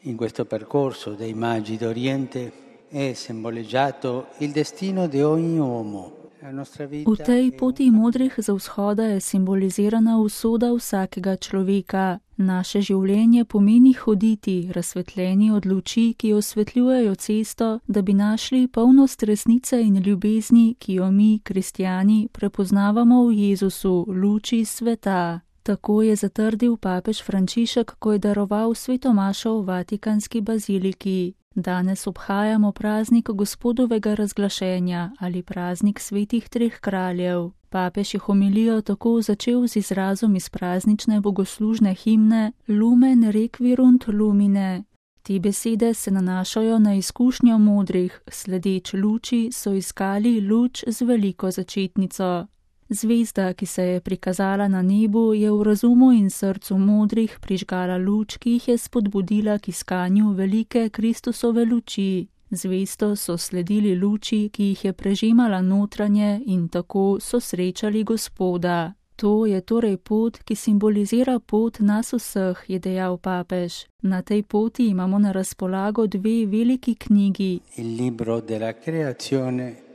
In questo percorso dei Magi d'Oriente è simboleggiato il destino di ogni uomo. V tej poti modrih za vzhoda je simbolizirana usoda vsakega človeka. Naše življenje pomeni hoditi, razsvetljeni od luči, ki osvetljujejo cesto, da bi našli polnost resnice in ljubezni, ki jo mi, kristjani, prepoznavamo v Jezusu, luči sveta. Tako je zatrdil papež Frančišek, ko je daroval svetomašo v Vatikanski baziliki. Danes obhajamo praznik Gospodovega razglašenja ali praznik svetih treh kraljev. Papež je homilijo tako začel z izrazom iz praznične bogoslužne himne Lumen requirunt lumine. Te besede se nanašajo na izkušnjo modrih, sledeč luči so iskali luč z veliko začetnico. Zvezda, ki se je prikazala na nebu, je v razumu in srcu modrih prižgala luč, ki jih je spodbudila k iskanju velike Kristusove luči. Zvesto so sledili luči, ki jih je prežemala notranje in tako so srečali Gospoda. To je torej pot, ki simbolizira pot nas vseh, je dejal papež. Na tej poti imamo na razpolago dve veliki knjigi. Il libro della creazione.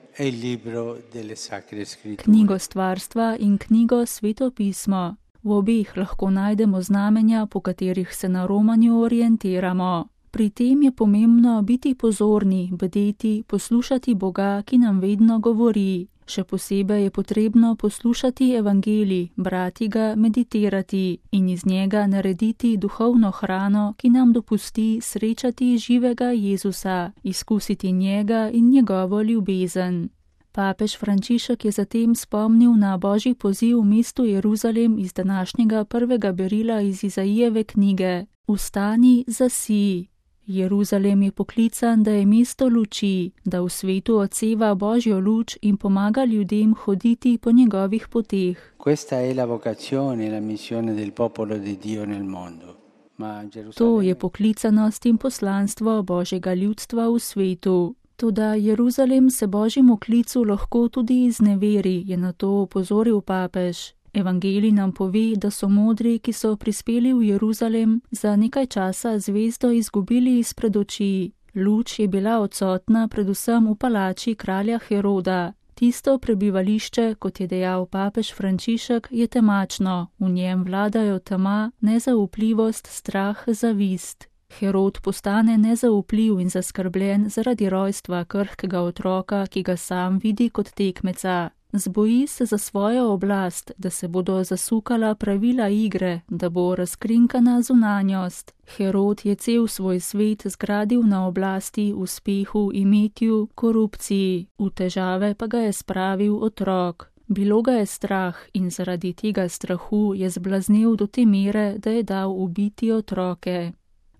Knjigo stvarstva in knjigo svetopismo. V obeh lahko najdemo znamenja, po katerih se na romanju orientiramo. Pri tem je pomembno biti pozorni, bdeti, poslušati Boga, ki nam vedno govori. Še posebej je potrebno poslušati evangelij, brati ga, meditirati in iz njega narediti duhovno hrano, ki nam dopusti srečati živega Jezusa, izkusiti njega in njegovo ljubezen. Papež Frančišek je zatem spomnil na Božji poziv v mestu Jeruzalem iz današnjega prvega berila iz Izaijeve knjige: Vstani, zasij. Jeruzalem je poklican, da je mesto luči, da v svetu odseva Božjo luč in pomaga ljudem hoditi po njegovih poteh. To je poklicanost in poslanstvo Božjega ljudstva v svetu. Toda Jeruzalem se Božjemu klicu lahko tudi izneveri, je na to opozoril papež. Evangelij nam pove, da so modri, ki so prispeli v Jeruzalem, za nekaj časa zvezdo izgubili izpred oči. Luč je bila odsotna predvsem v palači kralja Heroda. Tisto prebivališče, kot je dejal papež Frančišek, je temačno, v njem vladajo tema, nezaupljivost, strah, zavist. Herod postane nezaupljiv in zaskrbljen zaradi rojstva krhkega otroka, ki ga sam vidi kot tekmeca. Zboji se za svojo oblast, da se bodo zasukala pravila igre, da bo razkrinkana zunanjost. Herod je cel svoj svet zgradil na oblasti, uspehu, imetju, korupciji, v težave pa ga je spravil otrok. Bilo ga je strah in zaradi tega strahu je zblaznel do te mere, da je dal ubiti otroke.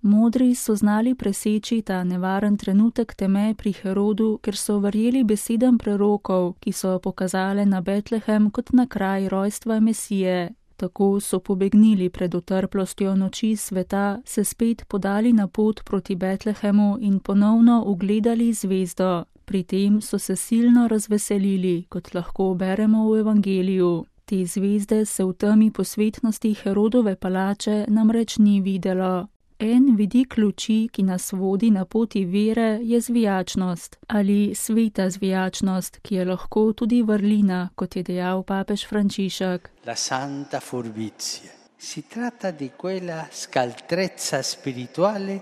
Modri so znali preseči ta nevaren trenutek teme pri Herodu, ker so verjeli besedam prerokov, ki so pokazale na Betlehem kot na kraj rojstva Mesije. Tako so pobegnili pred utrplostjo noči sveta, se spet podali na pot proti Betlehemu in ponovno ugledali zvezdo. Pri tem so se silno razveselili, kot lahko beremo v evangeliju. Te zvezde se v temi posvetnosti Herodove palače namreč ni videlo. En vidik luči, ki nas vodi na poti vere, je zvijačnost ali sveta zvijačnost, ki je lahko tudi vrlina, kot je dejal papež Frančišek. La santa furbizia. Si tratta di quella scaltrezza spirituale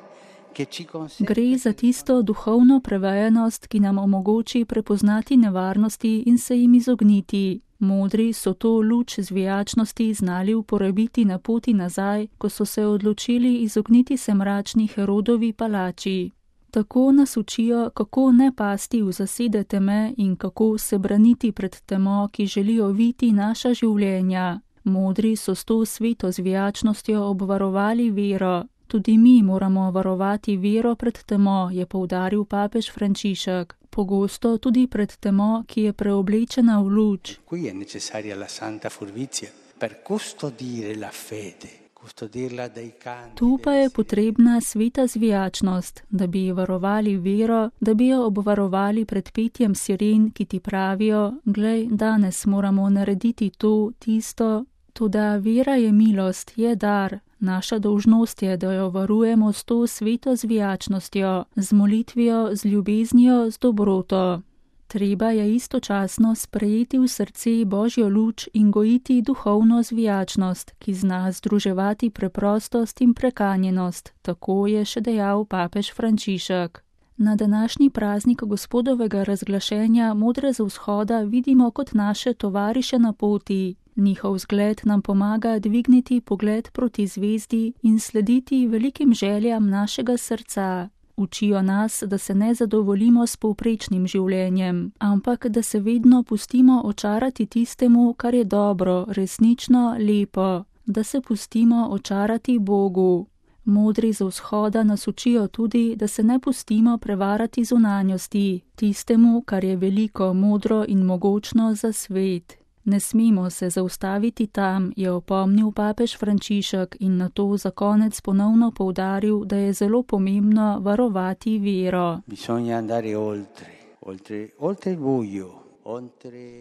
che ci consente. Gre za tisto duhovno prevajenost, ki nam omogoči prepoznati nevarnosti in se jim izogniti. Modri so to luč zvijačnosti znali uporabiti na poti nazaj, ko so se odločili izogniti se mračni Herodovi palači. Tako nas učijo, kako ne pasti v zasede teme in kako se braniti pred temo, ki želijo viti naša življenja. Modri so s to sveto zvijačnostjo obvarovali vero. Tudi mi moramo varovati vero pred temo, je poudaril papež Frančišek. Pogosto tudi pred temo, ki je preoblečena v luč. Qui è necessaria la santa furbizia per custodire la fede, custodirla dai canti. Tu pa je potrebna sveta zvijačnost, da bi varovali vero, da bi jo obvarovali pred petjem siren, ki ti pravijo: glej, danes moramo narediti to, tisto. Toda vera je milost, je dar. Naša dolžnost je, da jo varujemo s to sveto zvijačnostjo, z molitvijo, z ljubeznijo, z dobroto. Treba je istočasno sprejeti v srce Božjo luč in gojiti duhovno zvijačnost, ki zna združevati preprostost in prekanjenost, tako je še dejal papež Frančišek. Na današnji praznik Gospodovega razglašenja modre z vzhoda vidimo kot naše tovariše na poti. Njihov zgled nam pomaga dvigniti pogled proti zvezdi in slediti velikim željam našega srca. Učijo nas, da se ne zadovoljimo s povprečnim življenjem, ampak da se vedno pustimo očarati tistemu, kar je dobro, resnično, lepo, da se pustimo očarati Bogu. Modri z vzhoda nas učijo tudi, da se ne pustimo prevarati zunanjosti, tistemu, kar je veliko, modro in mogočno za svet. Ne smemo se zaustaviti tam, je opomnil papež Frančišek in nato za konec ponovno poudaril, da je zelo pomembno varovati vero.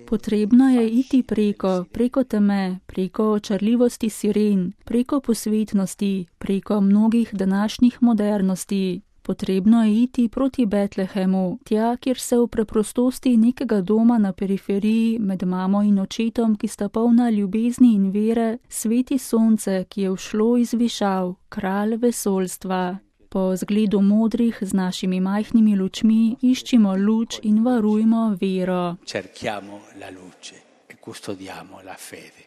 Potrebno je iti preko teme, preko očarljivosti siren, preko posvetnosti, preko mnogih današnjih modernosti. Potrebno je iti proti Betlehemu, tja, kjer se v preprostosti nekega doma na periferiji med mamo in očetom, ki sta polna ljubezni in vere, sveti sonce, ki je všlo iz višav, kralj vesoljstva. Po zgledu modrih z našimi majhnimi lučmi iščimo luč in varujmo vero. Cerchiamo la luce e custodiamo la fede.